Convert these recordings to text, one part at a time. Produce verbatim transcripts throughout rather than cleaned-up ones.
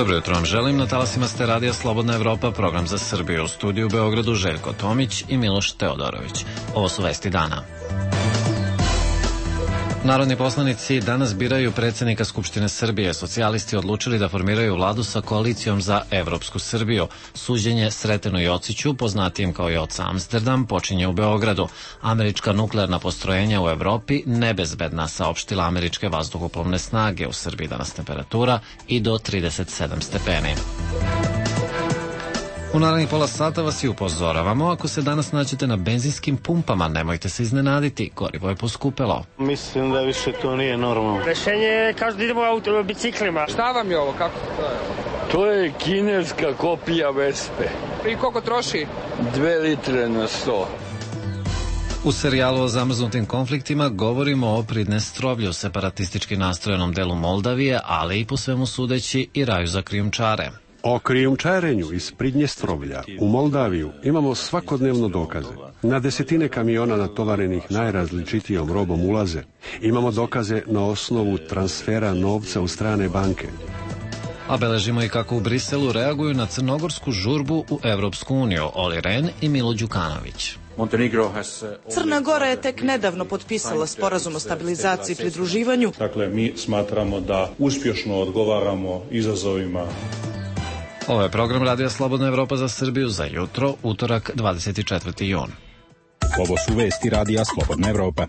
Dobro jutro vam želim, na talasima ste Radija Slobodna Evropa, program za Srbiju, u studiju u Beogradu Željko Tomić i Miloš Teodorović. Ovo su vesti dana. Narodni poslanici danas biraju predsjednika Skupštine Srbije. Socijalisti odlučili da formiraju vladu sa koalicijom za Evropsku Srbiju. Suđenje Sretenu Jociću, poznatijem kao Joca Amsterdam, počinje u Beogradu. Američka nuklearna postrojenja u Evropi nebezbedna, saopštila američke vazduhoplovne snage. U Srbiji danas temperatura i do trideset sedam stepeni. U narednih pola sata vas i upozoravamo, ako se danas nađete na benzinskim pumpama, nemojte se iznenaditi, gorivo je poskupelo. Mislim da više to nije normalno. Rešenje je kažu da idemo auto, biciklima. Šta vam je ovo, kako to je? To je kineska kopija Vespe. I koliko troši? Dve litre na sto. U serijalu o zamrznutim konfliktima govorimo o Pridnestrovlju, separatistički nastrojenom delu Moldavije, ali i po svemu sudeći i raju za krijumčare. O krijumčarenju iz Pridnjestrovlja u Moldaviju imamo svakodnevno dokaze. Na desetine kamiona natovarenih najrazličitijom robom ulaze. Imamo dokaze na osnovu transfera novca u strane banke. A beležimo i kako u Briselu reaguju na crnogorsku žurbu u Evropsku uniju. Oli Ren i Milo Đukanović. Crna Gora je tek nedavno potpisala sporazum o stabilizaciji i pridruživanju. Dakle, mi smatramo da uspješno odgovaramo izazovima. Ovo je program Radija Slobodna Evropa za Srbiju za jutro, utorak, dvadeset četvrti jun. Ovo su vesti Radija Slobodna Evropa.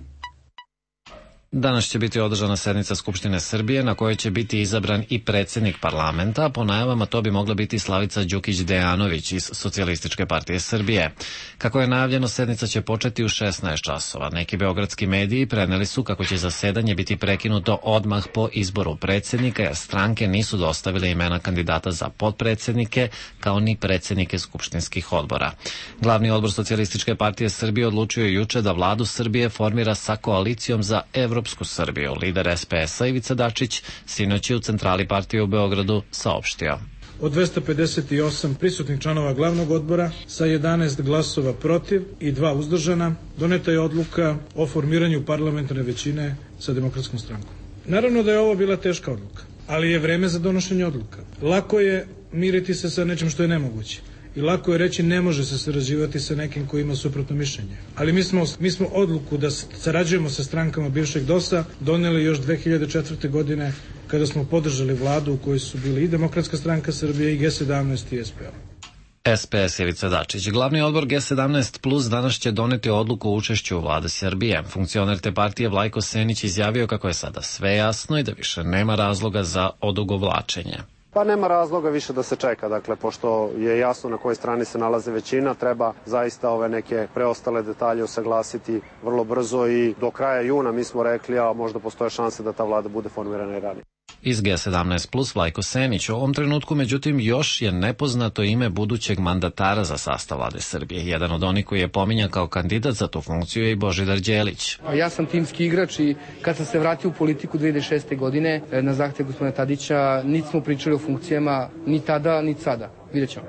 Danas će biti održana sednica Skupštine Srbije na kojoj će biti izabran i predsjednik parlamenta. Po najavama to bi mogla biti Slavica Đukić Dejanović iz Socijalističke partije Srbije. Kako je najavljeno, sednica će početi u šesnaest časova. Neki beogradski mediji preneli su kako će zasedanje biti prekinuto odmah po izboru predsjednika, jer stranke nisu dostavile imena kandidata za potpredsjednike, kao ni predsjednike skupštinskih odbora. Glavni odbor Socijalističke partije Srbije odlučio je juče da vladu Srbije formira sa koalicijom za Evropsku Srbiju. Lider es pe es-a Ivica Dačić sinoć je u centrali partije u Beogradu saopštio. Od dvesta pedeset osam prisutnih članova glavnog odbora sa jedanaest glasova protiv i dva uzdržana doneta je odluka o formiranju parlamentarne većine sa Demokratskom strankom. Naravno da je ovo bila teška odluka, ali je vreme za donošenje odluka. Lako je miriti se sa nečim što je nemoguće. I lako je reći ne može se sarađivati sa nekim koji ima suprotno mišljenje. Ali mi smo, mi smo odluku da sarađujemo sa strankama bivšeg dosa doneli još dve hiljade četvrte. godine kada smo podržali vladu u kojoj su bili i Demokratska stranka Srbije i ge sedamnaest i es pe o. es pe es Ivica Dačić. Glavni odbor ge sedamnaest plus danas će doneti odluku o učešću u vladi Srbije. Funkcioner te partije Vlajko Senić izjavio kako je sada sve jasno i da više nema razloga za odugovlačenje. Pa nema razloga više da se čeka, dakle, pošto je jasno na kojoj strani se nalaze većina, treba zaista ove neke preostale detalje usaglasiti vrlo brzo i do kraja juna, mi smo rekli, a možda postoje šanse da ta vlada bude formirana i ranije. Iz ge sedamnaest plus Vlajko Senić. U ovom trenutku, međutim, još je nepoznato ime budućeg mandatara za sastav vlade Srbije. Jedan od onih koji je pominjan kao kandidat za tu funkciju je i Božidar Đelić. Ja sam timski igrač i kad sam se vratio u politiku dve hiljade šeste. godine na zahtev gospodina Tadića, niti smo pričali o funkcijama, ni tada, ni sada. Vidjet ćemo.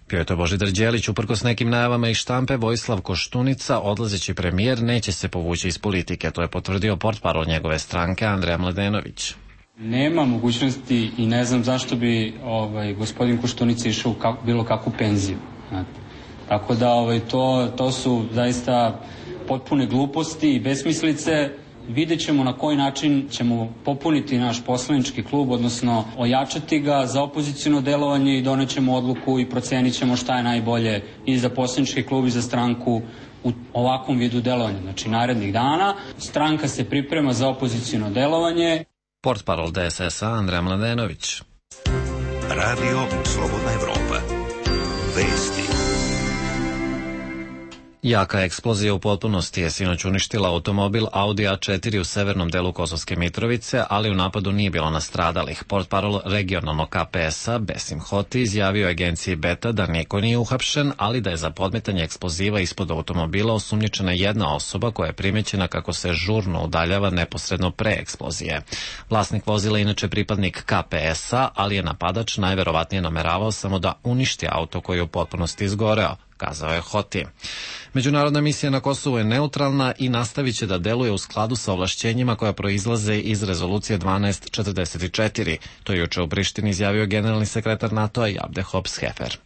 Bio je to Božidar Đelić. Uprkos nekim najavama iz štampe, Vojislav Koštunica, odlazeći premijer, neće se povući iz politike. To je potvrdio portparol njegove stranke Andreja Mladenović. Nema mogućnosti i ne znam zašto bi ovaj, gospodin Koštunica išao u kak, bilo kakvu penziju. Znate. Tako da ovaj, to, to su zaista potpune gluposti i besmislice. Vidjet ćemo na koji način ćemo popuniti naš poslanički klub, odnosno ojačati ga za opoziciono delovanje i donećemo odluku i procenit ćemo šta je najbolje i za poslanički klub i za stranku u ovakvom vidu delovanja. Znači, narednih dana stranka se priprema za opoziciono delovanje. Portparol de es es-a Andreja Mladenović. Radio Slobodna Evropa. Vesti. Jaka eksplozija u potpunosti je sinoć uništila automobil Audi a četiri u severnom delu Kosovske Mitrovice, ali u napadu nije bilo nastradalih. Portparol regionalnog ka pe es-a Besim Hoti izjavio agenciji Beta da niko nije uhapšen, ali da je za podmetanje eksploziva ispod automobila osumnjičena jedna osoba koja je primećena kako se žurno udaljava neposredno pre eksplozije. Vlasnik vozila inače pripadnik ka pe es-a, ali je napadač najverovatnije nameravao samo da uništi auto koji je u potpunosti izgoreo, kazao je Hoti. Međunarodna misija na Kosovu je neutralna i nastavit će da deluje u skladu sa ovlašćenjima koja proizlaze iz rezolucije dvanaest četrdeset četiri. To je juče u Prištini izjavio generalni sekretar NATO-a Jabde Hops-Hefer.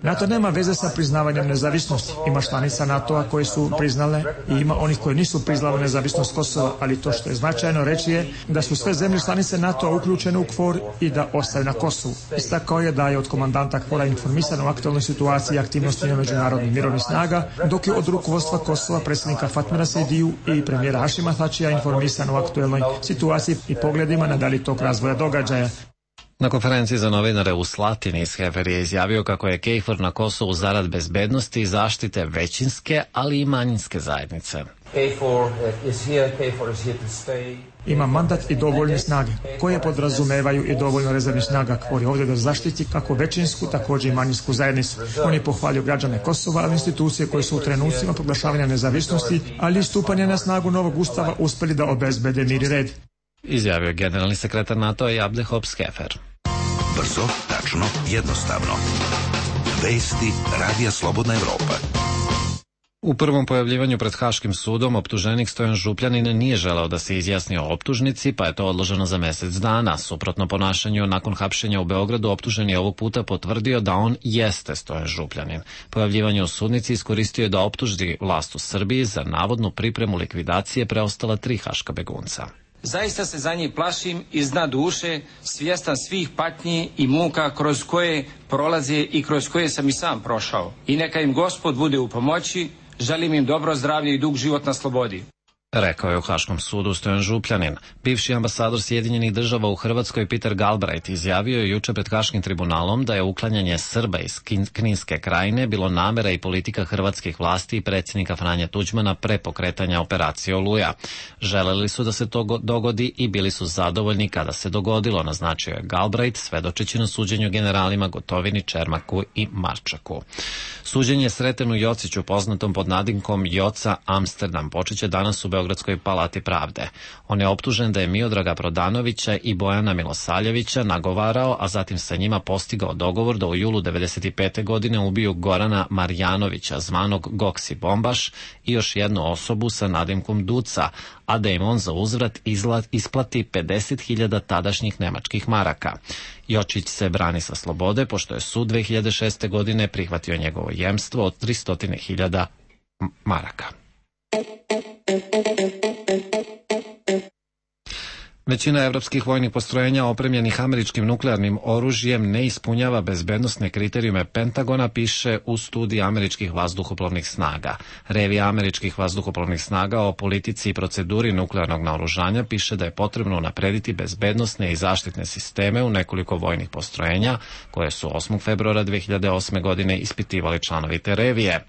NATO nema veze sa priznavanjem nezavisnosti. Ima članica NATO-a koje su priznale i ima onih koji nisu priznale nezavisnost Kosova, ali to što je značajno reći je da su sve zemlje članice NATO-a uključene u KFOR i da ostaju na Kosovu. Istakao je da je od komandanta KFOR-a informisan o aktualnoj situaciji i aktivnostima međunarodnih mirovnih snaga, dok je od rukovodstva Kosova predsjednika Fatmira Sejdiju i premijera Hašima Tačija informisan o aktualnoj situaciji i pogledima na dalji tok razvoja događaja. Na konferenciji za novinare u Slatini Hefer je izjavio kako je KFOR na Kosovu zarad bezbednosti i zaštite većinske, ali i manjinske zajednice. Ima mandat i dovoljne snage, koje podrazumevaju i dovoljno rezervnih snaga, KFOR je ovdje da zaštiti kako većinsku, također i manjinsku zajednicu. On je pohvalio građane Kosova, ali institucije koje su u trenucima proglašavanja nezavisnosti, ali i stupanja na snagu novog ustava uspjeli da obezbede mir i red. Izjavio je generalni sekretar NATO-a Jabde Hops-Hefer. Brzo, tačno, jednostavno. Vesti Radija Slobodna Evropa. U prvom pojavljivanju pred Haškim sudom optuženik Stojan Župljanin nije želeo da se izjasni o optužnici, pa je to odloženo za mesec dana. Suprotno ponašanju nakon hapšenja u Beogradu, optuženi je ovog puta potvrdio da on jeste Stojan Župljanin. Pojavljivanje u sudnici iskoristio je da optuži vlast u Srbiji za navodnu pripremu likvidacije preostala tri haška begunca. Zaista se za njih plašim iz dna duše, svjestan svih patnji i muka kroz koje prolaze i kroz koje sam i sam prošao. I neka im Gospod bude u pomoći, želim im dobro zdravlje i dug život na slobodi. Rekao je u Haškom sudu Stojan Župljanin. Bivši ambasador Sjedinjenih država u Hrvatskoj Peter Galbraith izjavio je juče pred Haškim tribunalom da je uklanjanje Srba iz Kninske krajine bilo namera i politika hrvatskih vlasti i predsjednika Franje Tuđmana pre pokretanja operacije Oluja. Želeli su da se to dogodi i bili su zadovoljni kada se dogodilo, naznačio je Galbraith, svedočeći na suđenju generalima Gotovini, Čermaku i Marčaku. Suđenje Sretenu Jociću, poznatom pod nadimkom Joca Amsterdam, počeće danas u Beogradskoj palati pravde. On je optužen da je Miodraga Prodanovića i Bojana Milosaljevića nagovarao, a zatim sa njima postigao dogovor da u julu devedeset pete godine ubiju Gorana Marjanovića, zvanog Goksi Bombaš, i još jednu osobu sa nadimkom Duca, a da im on za uzvrat isplati pedeset hiljada tadašnjih nemačkih maraka. Jočić se brani sa slobode, pošto je sud dve hiljade šeste. godine prihvatio njegovo jemstvo od tristo hiljada maraka. Većina evropskih vojnih postrojenja opremljenih američkim nuklearnim oružjem ne ispunjava bezbednosne kriterijume Pentagona, piše u studiji američkih vazduhoplovnih snaga. Revija američkih vazduhoplovnih snaga o politici i proceduri nuklearnog naoružanja piše da je potrebno unaprediti bezbednosne i zaštitne sisteme u nekoliko vojnih postrojenja, koje su osmog februara dve hiljade osme. godine ispitivali članovi te revije.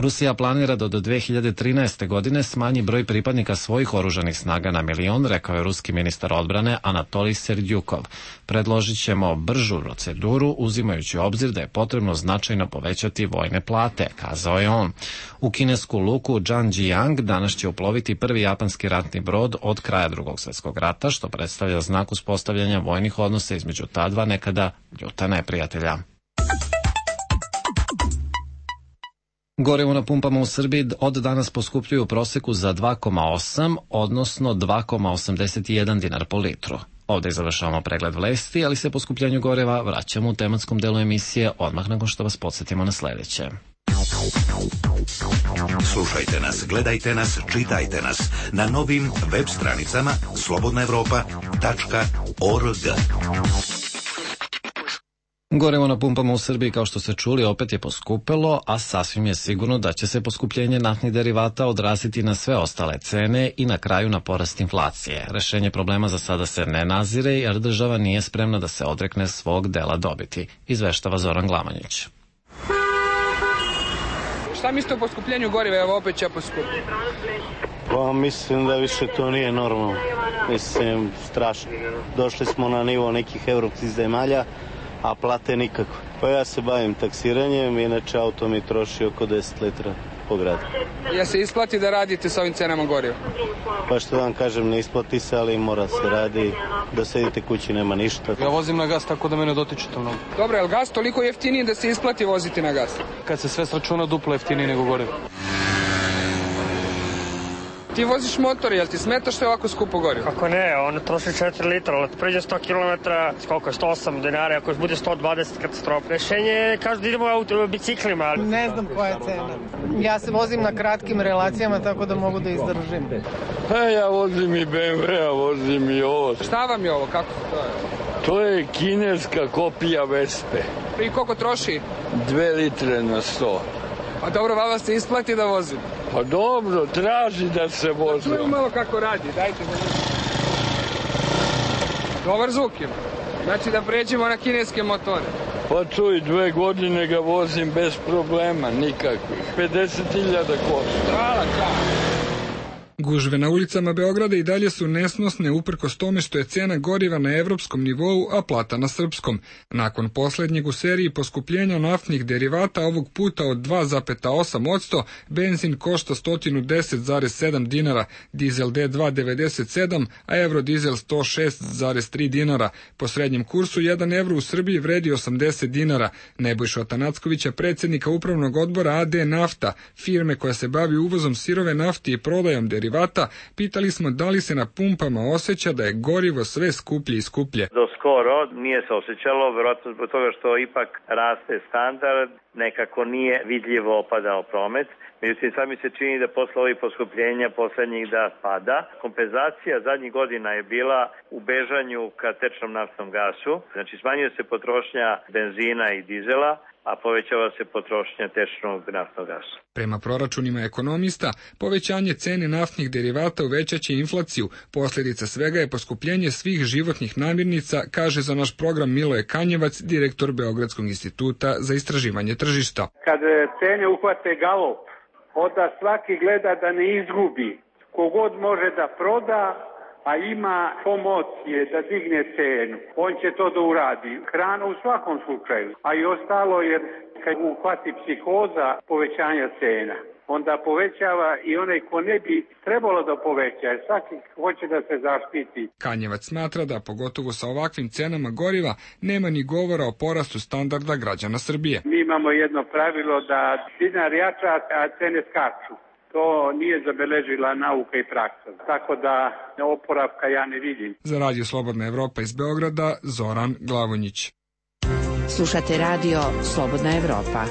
Rusija planira da do dve hiljade trinaeste. godine smanji broj pripadnika svojih oružanih snaga na milion, rekao je ruski ministar odbrane Anatolij Serdyukov. Predložit ćemo bržu proceduru, uzimajući u obzir da je potrebno značajno povećati vojne plate, kazao je on. U kinesku luku Zhangjiang danas će uploviti prvi japanski ratni brod od kraja Drugog svjetskog rata, što predstavlja znak uspostavljanja vojnih odnosa između ta dva nekada ljuta neprijatelja. Gorivo na pumpama u Srbiji od danas poskupljuju u proseku za dva zarez osam, odnosno dva zarez osamdeset jedan dinar po litru. Ovdje završavamo pregled vesti, ali se poskupljanju goriva vraćamo u tematskom delu emisije odmah nakon što vas podsjetimo na sljedeće. Slušajte nas, gledajte nas, čitajte nas na novim web stranicama slobodna evropa tačka org. Gorivo na pumpama u Srbiji, kao što ste čuli, opet je poskupelo, a sasvim je sigurno da će se poskupljenje naftnih derivata odraziti na sve ostale cene i na kraju na porast inflacije. Rešenje problema za sada se ne nazire, jer država nije spremna da se odrekne svog dela dobiti, izveštava Zoran Glamanjić. Šta mislite o poskupljenju goriva? Evo opet će poskupiti. Pa mislim da više to nije normalno. Mislim, strašno. Došli smo na nivo nekih evropskih zemalja, a plate nikako. Pa ja se bavim taksiranjem, inače auto mi troši oko deset litra skupo grad. Ja se isplati da radite sa ovim cenama goriva? Pa što vam kažem, ne isplati se, ali mora se radi. Da sedite kući nema ništa. Ja vozim na gas, tako da mene dotiče to mnogo. Dobro, je li gas toliko jeftiniji da se isplati voziti na gas? Kad se sve sračuna, duplo jeftiniji nego gorivo. Ti voziš motor, jel ti smeta što je ovako skupo gorivo? Kako ne, on troši četiri litra, ali pređe sto kilometara, koliko je, sto osam dinara, ako bude sto dvadeset katastrofa. Rešenje je, kažu da idemo auto, biciklima. Ne znam koja je cena. Ja se vozim na kratkim relacijama, tako da mogu da izdržim. Pa ja vozim i be em ve, a vozim i ovo. Šta vam je ovo, kako to je? To je kineska kopija Vespe. I koliko troši? Dve litre na sto. A dobro, vama se isplati da vozim? Pa dobro, traži da se vozi. Da čujem malo kako radi, dajte da vidim. Dobar zvuk ima. Znači da pređemo na kineske motore. Pa čuj, dve godine ga vozim bez problema, nikakvih. pedeset hiljada košta. Hvala, čao. Gužve na ulicama Beograda i dalje su nesnosne uprkos tome što je cena goriva na evropskom nivou, a plata na srpskom. Nakon poslednjeg u seriji poskupljenja naftnih derivata, ovog puta od dva zarez osam posto, benzin košta sto deset zarez sedam dinara, dizel D dva devedeset sedam, a evrodizel sto šest zarez tri dinara. Po srednjem kursu jedan evro u Srbiji vredi osamdeset dinara. Nebojša Atanackovića, predsjednika upravnog odbora a de Nafta, firme koja se bavi uvozom sirove nafte i prodajom derivata, pitali smo da li se na pumpama osjeća da je gorivo sve skuplje i skuplje. Do skoro nije se osjećalo, verovatno zbog toga što ipak raste standard, nekako nije vidljivo opadao promet. Međutim, sad mi se čini da posle ovih poskupljenja poslednjih da pada. Kompenzacija zadnjih godina je bila u bežanju ka tečnom naftnom gasu. Znači, smanjuje se potrošnja benzina i dizela, a povećava se potrošnja tečnog naftnog gasa. Prema proračunima ekonomista, povećanje cene naftnih derivata uvećaće inflaciju. Posljedica svega je poskupljenje svih životnih namirnica, kaže za naš program Miloje Kanjevac, direktor Beogradskog instituta za istraživanje tržišta. Kad cene uhvate galop, onda svaki gleda da ne izgubi. Kogod može da proda, a ima pomocije da digne cenu, on će to da uradi. Hrana u svakom slučaju, a i ostalo, jer kad uhvati psihoza povećanja cena, onda povećava i onaj ko ne bi trebalo da poveća, jer svaki hoće da se zaštiti. Kanjevac smatra da, pogotovo sa ovakvim cenama goriva, nema ni govora o porastu standarda građana Srbije. Mi imamo jedno pravilo da dinar jača, a cene skaču. To nije zabeležila nauka i praksa, tako da oporavka ja ne vidim. Za Radio Slobodna Evropa iz Beograda, Zoran Glavonjić. Slušate Radio Slobodna Evropa.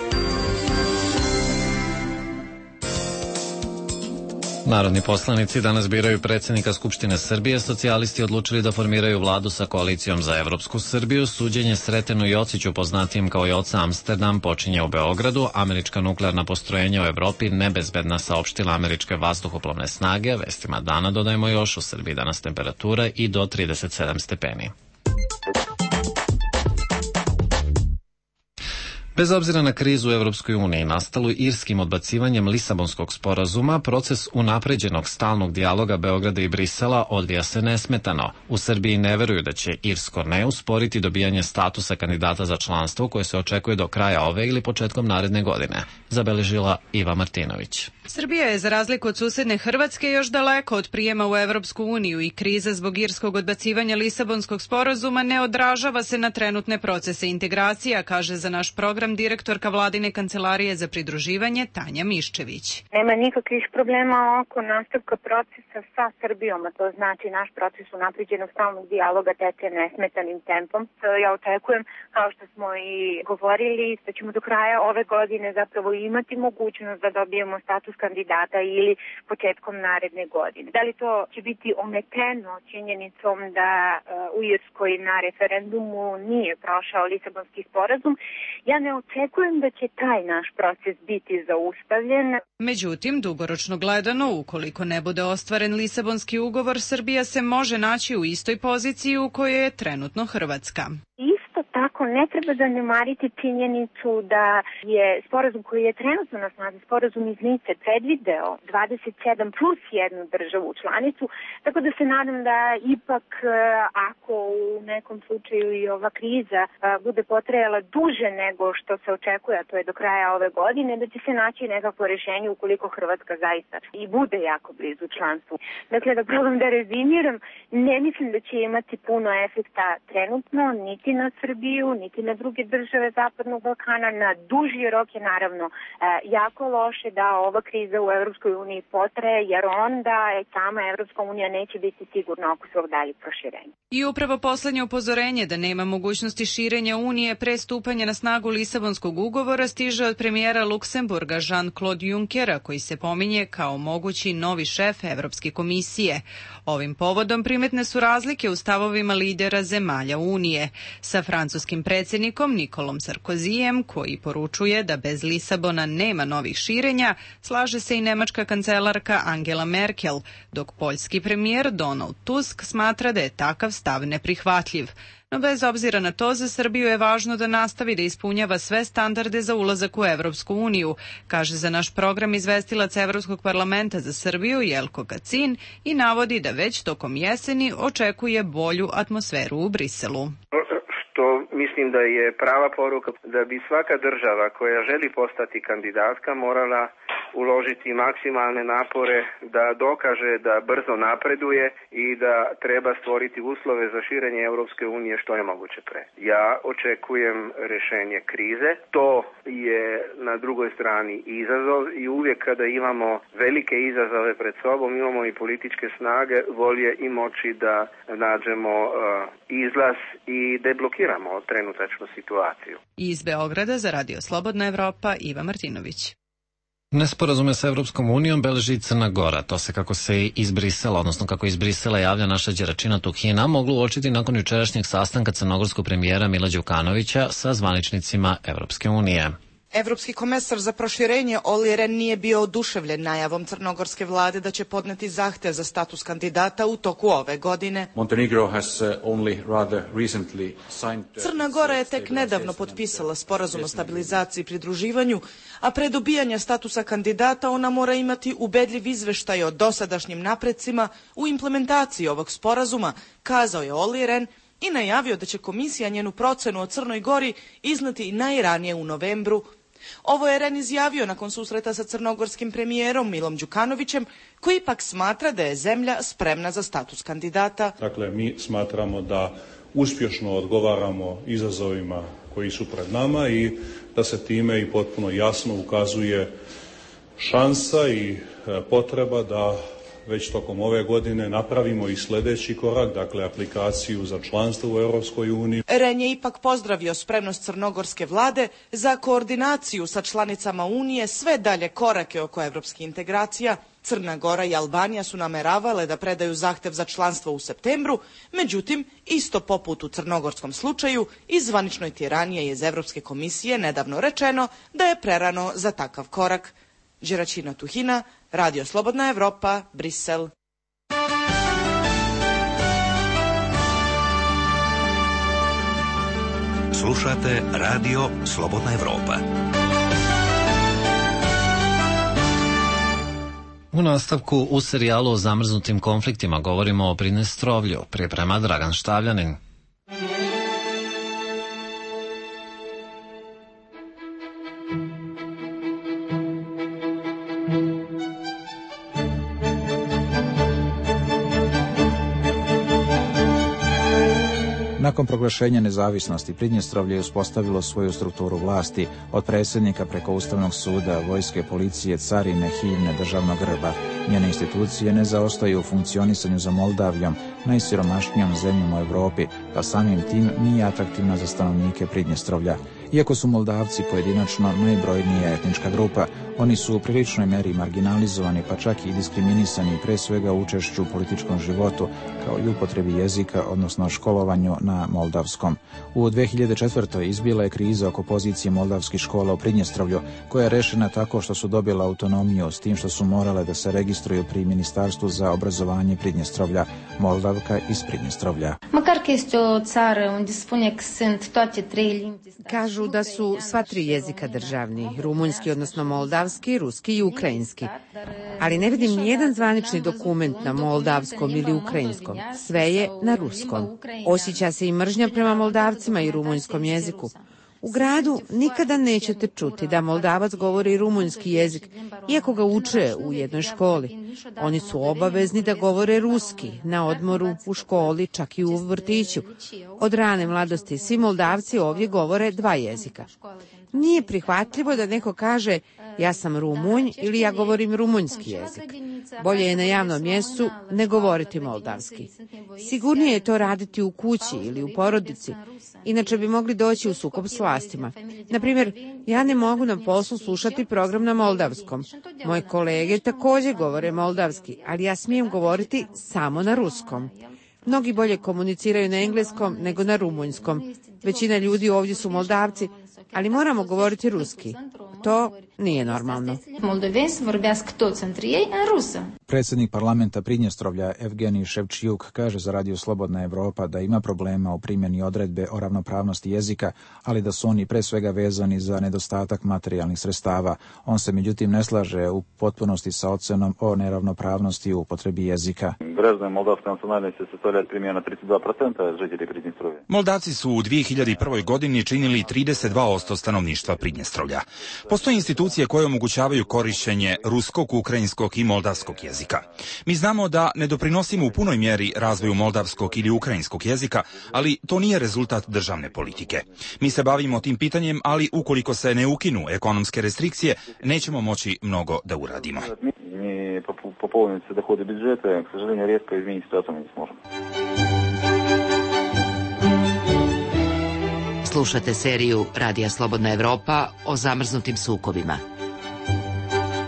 Narodni poslanici danas biraju predsjednika Skupštine Srbije. Socijalisti odlučili da formiraju vladu sa koalicijom za Evropsku Srbiju. Suđenje Sretenu Jociću, poznatijem kao Joca Amsterdam, počinje u Beogradu. Američka nuklearna postrojenja u Evropi nebezbedna, saopštila američke vazduhoplovne snage. Vestima dana dodajemo još, u Srbiji danas temperatura i do trideset sedam stepeni. Bez obzira na krizu u Evropskoj uniji nastalu irskim odbacivanjem Lisabonskog sporazuma, proces unapređenog stalnog dijaloga Beograda i Brisela odvija se nesmetano. U Srbiji ne veruju da će irsko ne usporiti dobijanje statusa kandidata za članstvo koje se očekuje do kraja ove ili početkom naredne godine, zabeležila Iva Martinović. Srbija je, za razliku od susedne Hrvatske, još daleko od prijema u Evropsku uniju i kriza zbog irskog odbacivanja Lisabonskog sporazuma ne odražava se na trenutne procese integracija, kaže za naš program direktorka Vladine kancelarije za pridruživanje Tanja Miščević. Nema nikakvih problema oko nastavka procesa sa Srbijom, a to znači naš proces unapređenog stalnog dijaloga teče nesmetanim tempom. Ja očekujem, kao što smo i govorili, da ćemo do kraja ove godine zapravo imati mogućnost da dobijemo status kandidata ili početkom naredne godine. Da li to će biti ometeno činjenicom da u Irskoj na referendumu nije prošao Lisabonski sporazum, ja ne očekujem da će taj naš proces biti zaustavljen. Međutim, dugoročno gledano, ukoliko ne bude ostvaren Lisabonski ugovor, Srbija se može naći u istoj poziciji u kojoj je trenutno Hrvatska. Isto tako ne treba zanemariti činjenicu da je sporazum koji je trenutno na snazi, sporazum iz Nice, predvideo dvadeset sedam plus jednu državu članicu, tako da se nadam da ipak ako u nekom slučaju i ova kriza bude potrajala duže nego što se očekuje, a to je do kraja ove godine, da će se naći nekakvo rješenje ukoliko Hrvatska zaista i bude jako blizu članstvu. Dakle, da probam da rezimiram, ne mislim da će imati puno efekta trenutno, niti na Srbiju, niti na druge države Zapadnog Balkana. Na duži rok je naravno jako loše da ova kriza u Evropskoj uniji potraje, jer onda sama Evropska unija neće biti sigurna oko svog daljeg proširenja. I upravo poslednje upozorenje da nema mogućnosti širenja Unije pre stupanja na snagu Lisabonskog ugovora stiže od premijera Luksemburga Jean-Claude Junckera, koji se pominje kao mogući novi šef Evropske komisije. Ovim povodom primetne su razlike u stavovima lidera zemalja Unije. Sa francuskim predsjednikom Nikolom Sarkozijem, koji poručuje da bez Lisabona nema novih širenja, slaže se i nemačka kancelarka Angela Merkel, dok poljski premijer Donald Tusk smatra da je takav stav neprihvatljiv. No bez obzira na to, za Srbiju je važno da nastavi da ispunjava sve standarde za ulazak u Evropsku uniju, kaže za naš program izvestilac Evropskog parlamenta za Srbiju Jelko Kacin i navodi da već tokom jeseni očekuje bolju atmosferu u Briselu. Što mislim da je prava poruka da bi svaka država koja želi postati kandidatka morala uložiti maksimalne napore da dokaže da brzo napreduje i da treba stvoriti uslove za širenje Europske unije što je moguće pre. Ja očekujem rešenje krize. To je na drugoj strani izazov i uvijek kada imamo velike izazove pred sobom, imamo i političke snage, volje i moći da nađemo uh, izlaz i deblokiramo trenutačnu situaciju. Iz Beograda za Radio Slobodna Evropa Iva Martinović. Nesporazume sa Evropskom unijom beleži i Crna Gora. To se kako se iz Brisela, odnosno kako iz Brisela javlja naša Đeračina Tuhina, moglo uočiti nakon jučerašnjeg sastanka crnogorskog premijera Mila Đukanovića sa zvaničnicima Evropske unije. Evropski komesar za proširenje Olli Rehn nije bio oduševljen najavom crnogorske vlade da će podneti zahtev za status kandidata u toku ove godine. Crna Gora je tek nedavno potpisala sporazum o stabilizaciji i pridruživanju, a pre dobijanja statusa kandidata ona mora imati ubedljiv izveštaj o dosadašnjim naprecima u implementaciji ovog sporazuma, kazao je Olli Rehn i najavio da će komisija njenu procenu o Crnoj Gori iznati najranije u novembru. Ovo je Rehn izjavio nakon susreta sa crnogorskim premijerom Milom Đukanovićem, koji ipak smatra da je zemlja spremna za status kandidata. Dakle, mi smatramo da uspješno odgovaramo izazovima koji su pred nama i da se time i potpuno jasno ukazuje šansa i potreba da već tokom ove godine napravimo i sljedeći korak, dakle aplikaciju za članstvo u Europskoj uniji. Rehn je ipak pozdravio spremnost crnogorske vlade za koordinaciju sa članicama Unije sve dalje korake oko evropskih integracija. Crna Gora i Albanija su nameravale da predaju zahtev za članstvo u septembru, međutim, isto poput u crnogorskom slučaju, iz zvaničnoj tiranije iz Evropske komisije nedavno rečeno da je prerano za takav korak. Đeračina Tuhina, Radio Slobodna Evropa, Brisel. Slušate Radio Slobodna Evropa. U nastavku u serijalu o zamrznutim konfliktima govorimo o Pridnestrovlju, priprema Dragan Štavljanin. Nakon proglašenja nezavisnosti, Pridnjestrovlje je uspostavilo svoju strukturu vlasti, od predsjednika preko Ustavnog suda, vojske, policije, carine, himne, državnog grba. Njene institucije ne zaostaju u funkcionisanju za Moldavijom, najsiromašnijom zemljom u Evropi, pa samim tim nije atraktivna za stanovnike Pridnjestrovlja. Iako su Moldavci pojedinačno najbrojnija etnička grupa, oni su u priličnoj meri marginalizovani, pa čak i diskriminisani pre svega u učešću u političkom životu, kao i upotrebi jezika, odnosno školovanju na moldavskom. U dve hiljade četvrtoj izbila je kriza oko pozicije moldavskih škola u Pridnjestrovlju, koja je rešena tako što su dobila autonomiju, s tim što su morale da se registruju pri Ministarstvu za obrazovanje Pridnjestrovlja, Moldavka iz Pridnjestrovlja. Kažu da su sva tri jezika državni, rumunjski, odnosno moldavski, ruski i ukrajinski. Ali ne vidim nijedan zvanični dokument na moldavskom ili ukrajinskom. Sve je na ruskom. Osjeća se i mržnja prema Moldavcima i rumunjskom jeziku. U gradu nikada nećete čuti da Moldavac govori rumunjski jezik, iako ga uče u jednoj školi. Oni su obavezni da govore ruski, na odmoru, u školi, čak i u vrtiću. Od rane mladosti svi Moldavci ovdje govore dva jezika. Nije prihvatljivo da neko kaže ja sam Rumunj ili ja govorim rumunjski jezik. Bolje je na javnom mjestu ne govoriti moldavski. Sigurnije je to raditi u kući ili u porodici, inače bi mogli doći u sukob s vlastima. Naprimjer, ja ne mogu na poslu slušati program na moldavskom. Moje kolege također govore moldavski, ali ja smijem govoriti samo na ruskom. Mnogi bolje komuniciraju na engleskom nego na rumunjskom. Većina ljudi ovdje su Moldavci, ali moramo govoriti ruski. To nije normalno. Predsjednik parlamenta Pridnjestrovlja Evgenij Ševčijuk kaže za Radio Slobodna Evropa da ima problema u primjeni odredbe o ravnopravnosti jezika, ali da su oni pre svega vezani za nedostatak materijalnih sredstava. On se međutim ne slaže u potpunosti sa ocenom o neravnopravnosti u upotrebi jezika. Moldavci su u dvije hiljade prve. godini činili trideset dva posto stanovništva Pridnjestrovlja. Postoje institucije koje omogućavaju korišćenje ruskog, ukrajinskog i moldavskog jezika. Mi znamo da ne doprinosimo u punoj mjeri razvoju moldavskog ili ukrajinskog jezika, ali to nije rezultat državne politike. Mi se bavimo tim pitanjem, ali ukoliko se ne ukinu ekonomske restrikcije, nećemo moći mnogo da uradimo. Slušate seriju Radija Slobodna Evropa o zamrznutim sukobima.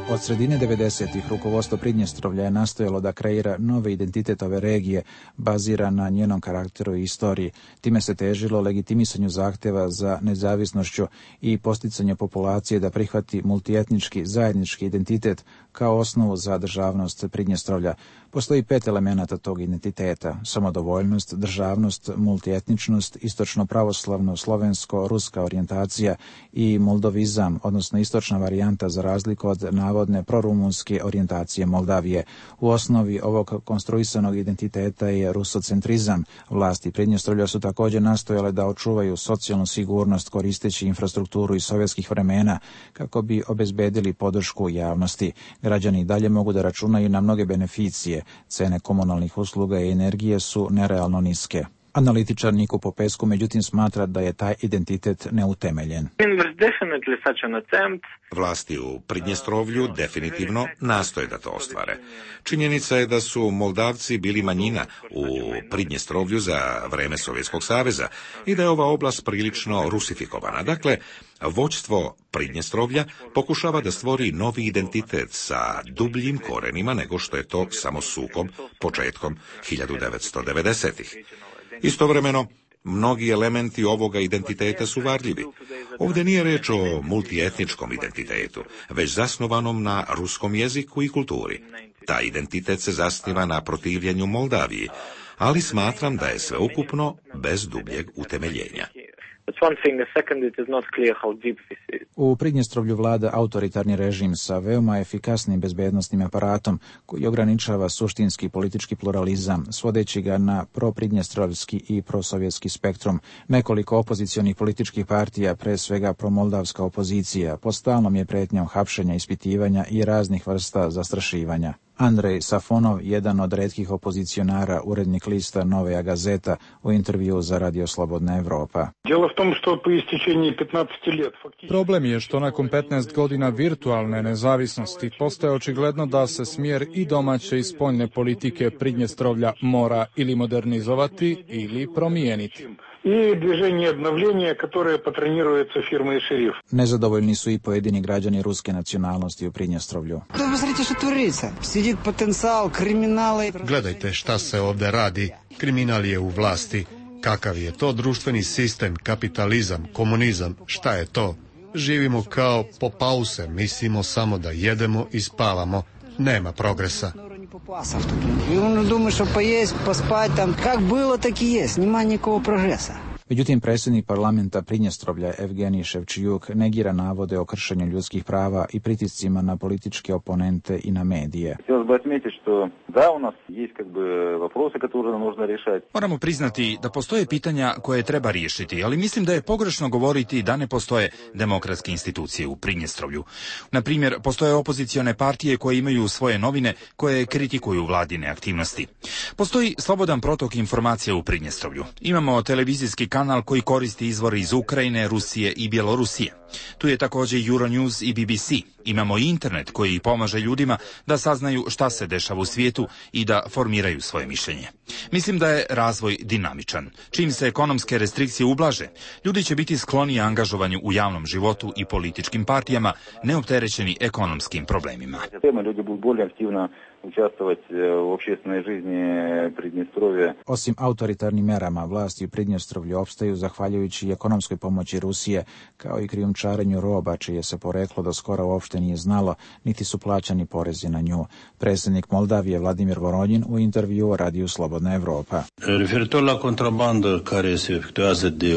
Od sredine devedesetih rukovodstvo Pridnjestrovlja je nastojalo da kreira nove identitet ove regije, baziran na njenom karakteru i istoriji. Time se težilo legitimisanju zahteva za nezavisnošću i posticanju populacije da prihvati multietnički zajednički identitet kao osnovu za državnost Pridnjestrovlja. Postoji pet elemenata tog identiteta: samodovoljnost, državnost, multietničnost, istočno pravoslavno, slovensko, ruska orijentacija i moldovizam, odnosno istočna varijanta za razliku od navodne prorumunske orijentacije Moldavije. U osnovi ovog konstruisanog identiteta je rusocentrizam. Vlasti Pridnjestrovlja su također nastojale da očuvaju socijalnu sigurnost koristeći infrastrukturu iz sovjetskih vremena kako bi obezbedili podršku javnosti. Građani dalje mogu da računaju na mnoge beneficije. Cene komunalnih usluga i energije su nerealno niske. Analitičar Niko Popescu međutim smatra da je taj identitet neutemeljen. Vlasti u Pridnjestrovlju definitivno nastoje da to ostvare. Činjenica je da su Moldavci bili manjina u Pridnjestrovlju za vreme Sovjetskog saveza i da je ova oblast prilično rusifikovana. Dakle, vođstvo Pridnjestrovlja pokušava da stvori novi identitet sa dubljim korenima nego što je to samo sukob početkom hiljadu devetsto devedesetih. Istovremeno, mnogi elementi ovoga identiteta su varljivi. Ovdje nije reč o multietničkom identitetu, već zasnovanom na ruskom jeziku i kulturi. Taj identitet se zasniva na protivljenju Moldaviji, ali smatram da je sveukupno bez dubljeg utemeljenja. U Pridnjestrovlju vlada autoritarni režim sa veoma efikasnim bezbednostnim aparatom koji ograničava suštinski politički pluralizam, svodeći ga na propridnjestrovski i prosovjetski spektrum. Nekoliko opozicionih političkih partija, pre svega promoldavska opozicija, pod stalnom je pretnjom hapšenja, ispitivanja i raznih vrsta zastrašivanja. Andrej Safonov, jedan od retkih opozicionara, urednik lista Novaja Gazeta, u intervju za Radio Slobodna Evropa. Problem je što nakon petnaest godina virtualne nezavisnosti postaje očigledno da se smjer i domaće i spoljne politike Pridnjestrovlja mora ili modernizovati ili promijeniti. I движение обновления, которое патронируется фирмой «Шериф». Nezadovoljni su i pojedini građani ruske nacionalnosti u Pridnjestrovlju. Gledajte šta se ovdje radi. Kriminal je u vlasti. Kakav je to društveni sistem, kapitalizam, komunizam, šta je to? Živimo kao po pause, mislimo samo da jedemo i spavamo. Nema progresa. И он думает, что поесть, поспать там, как было, так и есть, нема никакого прогресса. Međutim, predsjednik parlamenta Pridnjestrovlja Evgenij Ševčijuk negira navode o kršenju ljudskih prava i pritiscima na političke oponente i na medije. Moramo priznati da postoje pitanja koje treba riješiti, ali mislim da je pogrešno govoriti da ne postoje demokratske institucije u Pridnjestrovlju. Na primjer, postoje opozicione partije koje imaju svoje novine koje kritikuju vladine aktivnosti. Postoji slobodan protok informacija u Pridnjestrovlju. Imamo televizijski kanal kanal koji koristi izvore iz Ukrajine, Rusije i Bjelorusije. Tu je također Euronews i B B C. Imamo i internet koji pomaže ljudima da saznaju šta se dešava u svijetu i da formiraju svoje mišljenje. Mislim da je razvoj dinamičan. Čim se ekonomske restrikcije ublaže, ljudi će biti skloni angažovanju u javnom životu i političkim partijama, neopterećeni ekonomskim problemima. Ljudi budu bolje aktivno učestvovati u общественной жизни Pridnjestrovja. Osim autoritarnim merama, vlasti u Pridnjestrovlju opstaju zahvaljujući ekonomskoj pomoći Rusije, kao i krijumčarenju roba, čije se poreklo do skoro uopšte nije znalo, niti su plaćani porezi na nju. Predsjednik Moldavije Vladimir Voronjin u intervju o Radiju Slobodna Evropa. Referitor la kontrabandă care se efectuează de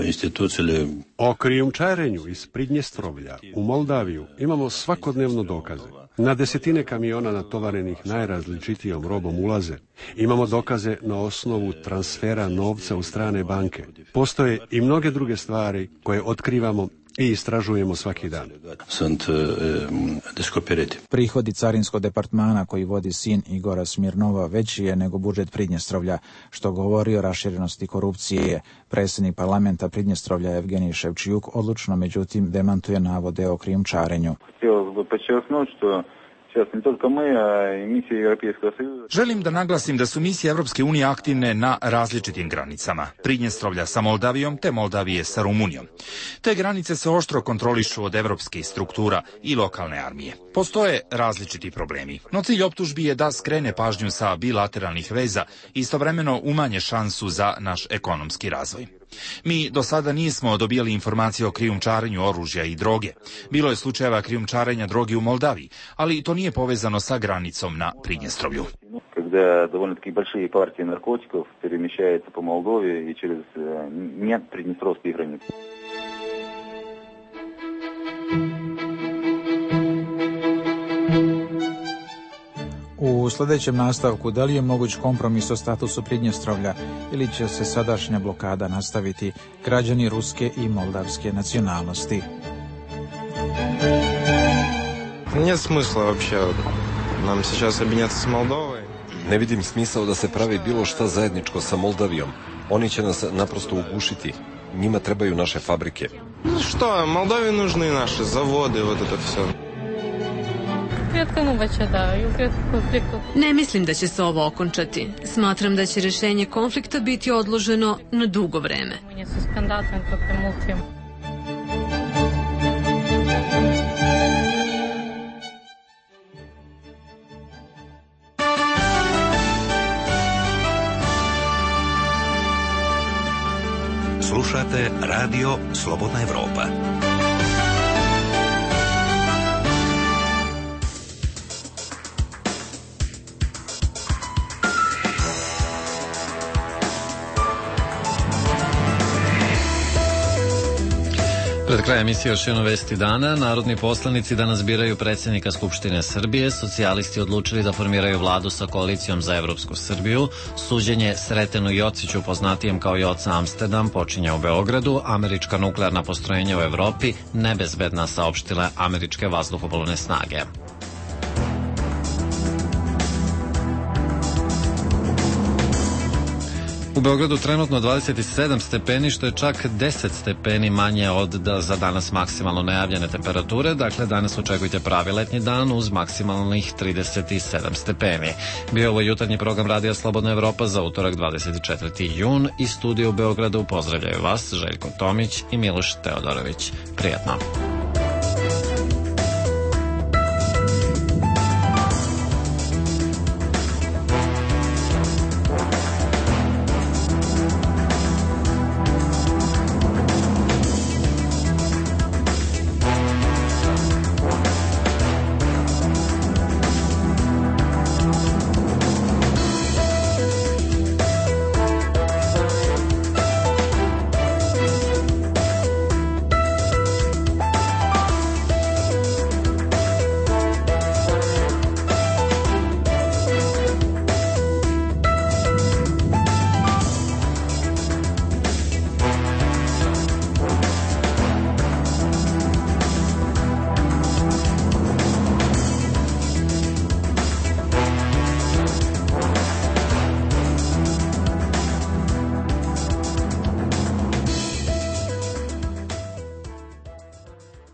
instituțiile. O krijumčarenju iz Pridnjestrovlja u Moldaviju imamo svakodnevno dokaze. Na desetine kamiona natovarenih najrazličitijom robom ulaze. Imamo dokaze na osnovu transfera novca u strane banke. Postoje i mnoge druge stvari koje otkrivamo i istražujemo svaki dan. Sunt descoperiti. Prihodi carinskog departmana koji vodi sin Igora Smirnova veći je nego budžet Pridnjestrovlja, što govori o raširenosti korupcije. Predsjednik parlamenta Pridnjestrovlja Evgenij Ševčijuk odlučno međutim demantuje navode o krijumčarenju. Želim da naglasim da su misije Evropske unije aktivne na različitim granicama. Pridnjestrovlja sa Moldavijom te Moldavije sa Rumunijom. Te granice se oštro kontrolišu od evropskih struktura i lokalne armije. Postoje različiti problemi, no cilj optužbi je da skrene pažnju sa bilateralnih veza i istovremeno umanje šansu za naš ekonomski razvoj. Mi do sada nismo dobijali informacije o krijumčarenju oružja i droge. Bilo je slučajeva krijumčarenja droge u Moldaviji, ali to nije povezano sa granicom na Pridnjestrovlju. Когда довольно-таки большие партии наркотиков перемещаются по Молдове и через нет приднестровские границы. U sljedećem nastavku, da li je moguć kompromis o statusu Pridnjestrovlja ili će se sadašnja blokada nastaviti, građani ruske i moldavske nacionalnosti? Нет смысла вообще нам сейчас объединяться с Молдовой. Ne vidim smisao da se pravi bilo šta zajedničko sa Moldavijom. Oni će nas naprosto ugušiti. Njima trebaju naše fabrike. Ну что, Молдавии нужны наши заводы, вот это все. Ne mislim da će se ovo okončati. Smatram da će rješenje konflikta biti odloženo na dugo vreme. Slušate Radio Slobodna Evropa. Pred krajem emisije još jedno vesti dana. Narodni poslanici danas biraju predsjednika Skupštine Srbije. Socijalisti odlučili da formiraju vladu sa koalicijom za Evropsku Srbiju. Suđenje Sretenu Jociću, poznatijem kao Joca Amsterdam, počinje u Beogradu. Američka nuklearna postrojenja u Evropi nebezbedna, saopštile američke vazduhoplovne snage. Beogradu trenutno dvadeset sedam stepeni, što je čak deset stepeni manje od da za danas maksimalno najavljene temperature. Dakle, danas očekujte pravi letnji dan uz maksimalnih trideset sedam stepeni. Bio ovo jutarnji program Radija Slobodna Evropa za utorak dvadeset četvrti jun. Iz studija u Beogradu pozdravljaju vas Željko Tomić i Miloš Teodorović. Prijetno.